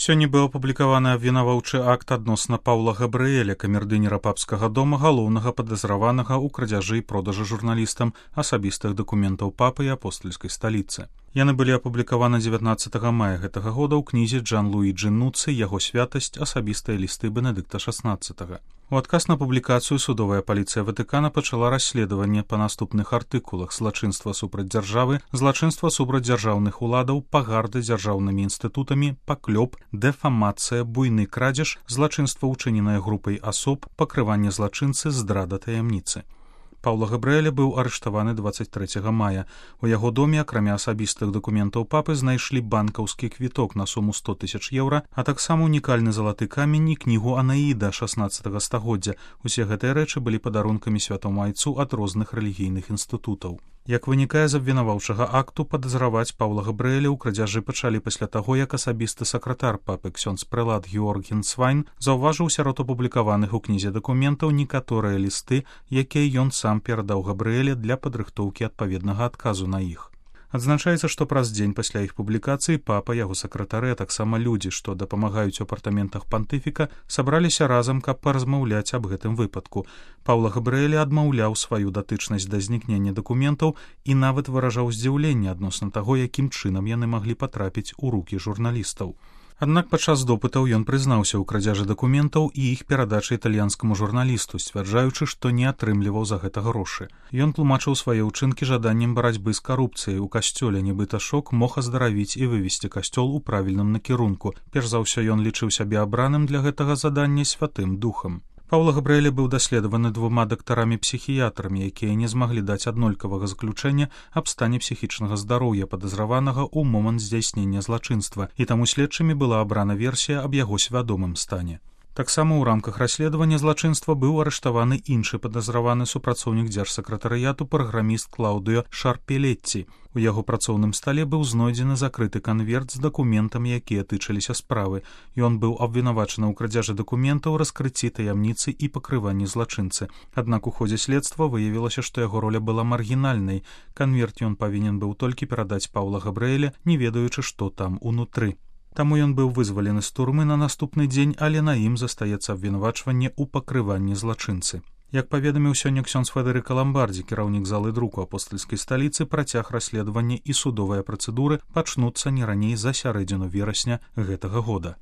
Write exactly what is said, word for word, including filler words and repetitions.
Сёння быў апублікаваны абвінаваўчы акт адносна Паўла Габрыэля, камердынера папскага дома, галоўнага падазраванага ў крадзяжы і продажы журналістам асабістых дакументаў папы і апостальскай сталіцы. Яны былі апублікаваны дзевятнаццатага мая гэтага года ў кнізе Джан-Луіджы Нуццы «Яго святасць. Асабістыя лісты Бенедыкта шаснаццатага». У адказ на публікацыю судовая паліцыя Ватыкана пачала расследаванне па наступных артыкулах: злачынства супраць дзяржавы, злачынства супраць дзяржаўных уладаў, пагарда дзяржаўнымі інстытутамі, паклёп, дэфамацыя, буйны крадзеж, злачынства ўчыненае групай асоб, пакрыванне злачынцы, здрада таямніцы. Паўла Габрыэля быў арыштаваны дваццаць трэцяга мая. У яго доме, акрамя асабістых дакументаў папы, знайшлі банкаўскі квіток на суму сто тысяч еўра, а таксама унікальны залаты камень і кнігу Анаіда шаснаццатага стагоддзя. Усе гэтыя рэчы былі падарункамі святому айцу ад розных рэлігійных інстытутаў. Як вынікае з абвінаваўчага акту, падазраваць Паўла Габрыэля ў крадзяжы пачалі пасля таго, як асабісты сакратар папы ксёндз прэлат Георг Генцвайн заўважыў сярод апублікаваных у кнізе дакументаў некаторыя лісты, якія ён сам перадаў Габрыэля для падрыхтоўкі адпаведнага адказу на іх. Адзначаецца, што праз дзень пасля іх публікацыі папа, яго сакратары, а таксама людзі, што дапамагаюць у апартаментах пантыфіка, сабраліся разам, каб паразмаўляць аб гэтым выпадку. Паўла Габрыэля адмаўляў сваю датычнасць да знікнення дакументаў і нават выражаў здзіўленне адносна таго, якім чынам яны маглі патрапіць у рукі журналістаў. Аднак падчас допытаў ён прызнаўся ў крадзяжы дакументаў і іх перадачы італьянскаму журналісту, сцвярджаючы, што не атрымліваў за гэта грошы. Ён тлумачыў свае ўчынкі жаданнем барацьбы з карупцыяй у касцёле, нібыта шок мог аздаравіць і вывесці касцёл у правільным накірунку. Перш за ўсё ён лічыў сябе абраным для гэтага задання святым духам. Паўла Габрыэля быў даследаваны двума дактарамі-псіхіятрамі, якія не змаглі даць аднолькавага заключэння аб стане псіхічнага здароўя падазраванага ў момант здзяйснення злачынства, і таму следчымі была абрана версія аб яго свядомым стане. Таксама ў рамках расследавання злачынства быў арыштаваны іншы падазраваны супрацоўнік дзяржсакратарыяту праграміст Клаўдыё Шарпелетці. У яго працоўным стале быў знойдзены закрыты канверт з дакументамі, якія тычыліся справы. Ён быў абвінавачаны ў крадзяжы дакументаў, раскрыцці таямніцы і пакрыванні злачынцы. Аднак у ходзе следства выявілася, што яго роля была маргінальнай. Канверт ён павінен быў толькі перадаць Паўла Габрыэля, не ведаючы, што там унутры. Таму ён быў вызвалены з турмы на наступны дзень, але на ім застаецца абвінавачванне ў пакрыванні злачынцы. Як паведаміў сёння ксёндз Федэрыка Ламбардзі, кіраўнік залы друку апостальскай сталіцы, працяг расследавання і судовыя працэдуры пачнуцца не раней за сярэдзіну верасня гэтага года.